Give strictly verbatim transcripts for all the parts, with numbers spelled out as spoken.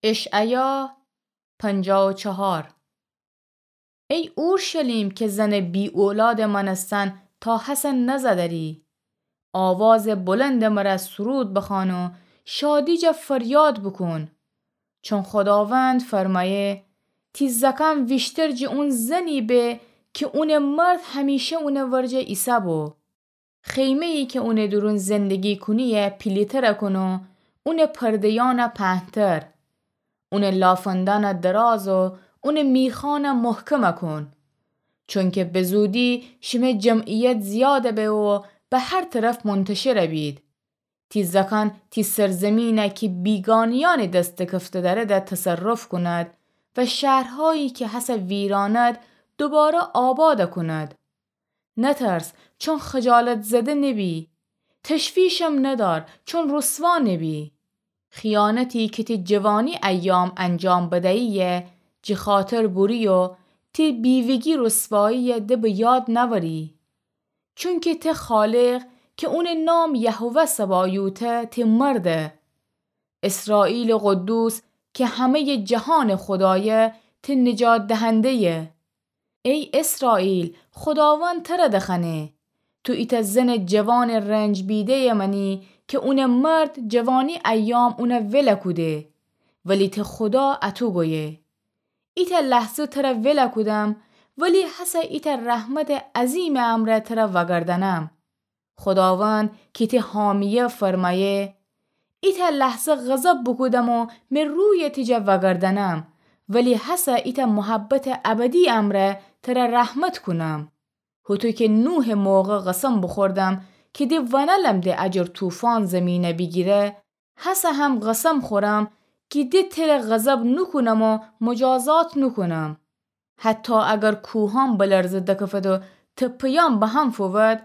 اشعیا پنجاه و چهار. ای اورشلیم که زنٚ بی‌اولادٚ مأنستن تا هسه نزأ دری، آوازٚ بلندٚ مرأ سرود بخوأن و شادی جا فریاد بوکون. چون خوداوند فرمأیه، تی زأکأن ویشتر جٚه اون زنی به که اونٚ مرد همیشه اونٚ ورجه ایسه‌بو. خیمه‌یی که اونٚ دورون زندگی کونی‌یه پیلی‌تر کون و اونٚ پرده‌یأن پهن‌تر، اونٚ لافندأن دراز و اونٚ میخأن محکم کون. چونکه به زودی شمه جمعیت زیاد به و به هر طرف منتشر بید. تی زأکأن تی سرزمین کی بیگانه‌یأنٚ دس دکفته دأرد تصرف کونید و شهرهایی که هسه ویرانید دوباره آباد کونید. نترس، چون خجالت زده نبی. تشویشم ندار، چون رسوا نبی. خیانتی که تی جوانی ایام انجام بدیی، جٚه خاطر بوری و تی بیوه‌گی رسوایی ده به یاد نأوری. چونکه تی خالق که اونٚ نام یهوه سبایوته تی مرده. اسرائیلٚ قدوس که همه‌یٚ جهانٚ خودایه تی نجات دهنده‌یه. ای اسرائیل، خوداوند تره دخوأنه، تو ایتأ زنٚ جوانٚ رنج بیده‌یٚ مأنی که اونٚ مرد جوانی ایام اون ول کوده، ولی تی خودا اَتو گویه، ایتأ لحظه تره ول کودم، ولی هسه ایتأ رحمتٚ عظیمٚ امرأ تره وأگردأنم. خوداوند کی تی حامی‌یه فرمأیه، ایتأ لحظه غضب بوکودم و مه روی تی جا وأگردأنم، ولی هسه ایتأ محبتٚ ابدی امرأ تره رحمت کونم. هوطو که نوحٚ موقع قسم بوخوردم کی ده ونألم ده اجر طوفان زیمینه بیگیره، هسه هم قسم خورم کی ده تره غضب نوکونم و مجازات نوکونم. حتی اگر کوهأن بلرزه دکفد و تپه‌یأن به هم فوود،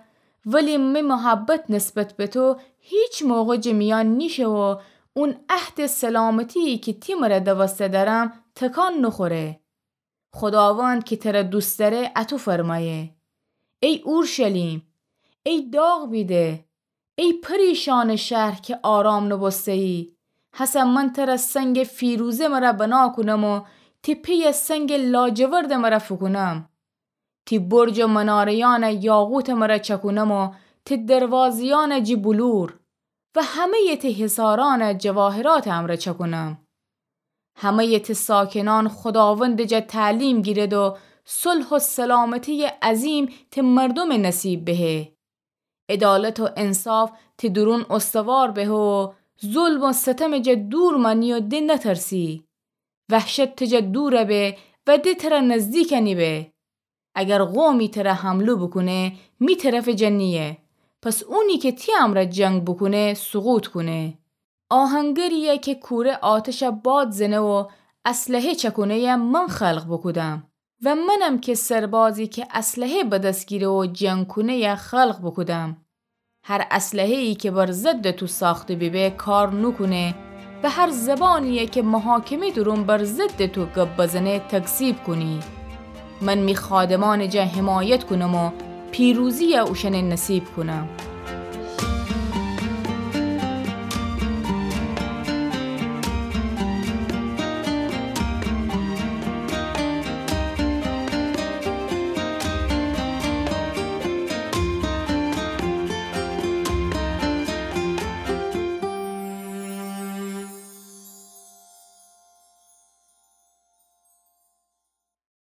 ولی می محبت نسبت به تو هیچ موقع جٚه میأن نیشه و اون عهدٚ سلامتی‌یی کی تی مره دوسته دأرم تکان نوخوره. خوداوند کی تره دوست دأره اَتو فرمأیه، ای اورشلیم، ای داغ بیده، ای پریشانٚ شهر کی آرام نوبوسته‌یی، هسه من تره سنگٚ فیروزه مره بنا کونم و تی پیه سنگٚ لاجوردٚ مره فوکونم. تی برج و مناره‌یأن یاقوتٚ مره چکونم و تی دروازه‌یأن جٚه بلور و همه‌یٚ تی حصارأن جواهراتٚ امرأ چکونم. همه‌یٚ تی ساکنأن خوداوندٚ جا تعلیم گیرد و صلح و سلامتی‌یٚ عظیم تی مردومٚ نصیب بهه. عدالت و انصاف تی دورون استوار بهه و ظلم و ستمٚ جا دور مأنی و ده نترسی. وحشت تی جا دور به و ده تره نزدیک نیبه. اگر قومی تره حمله بوکونه، می طرفٚ جا نییه، پس اونی کی تی امرأ جنگ بوکونه سقوط کونه. آهنگری‌یی کی کوره آتشٚ باد زنه و اسلحه چکونه‌یی من خلق بوکودم و منم کی سربازی کی اسلحه به دس گیره و جنگ کونه‌یی خلق بوکودم. هر اسلحه‌یی کی بر ضدٚ تو ساخته بیبه کار نوکونه و هر زبانی‌یی کی محاکمه دورون بر ضدٚ تو گب بزنه تکذیب کونی. من می خادمأنٚ جا حمایت کونم و پیروزی‌یی اوشأنٚ نصیب کونم.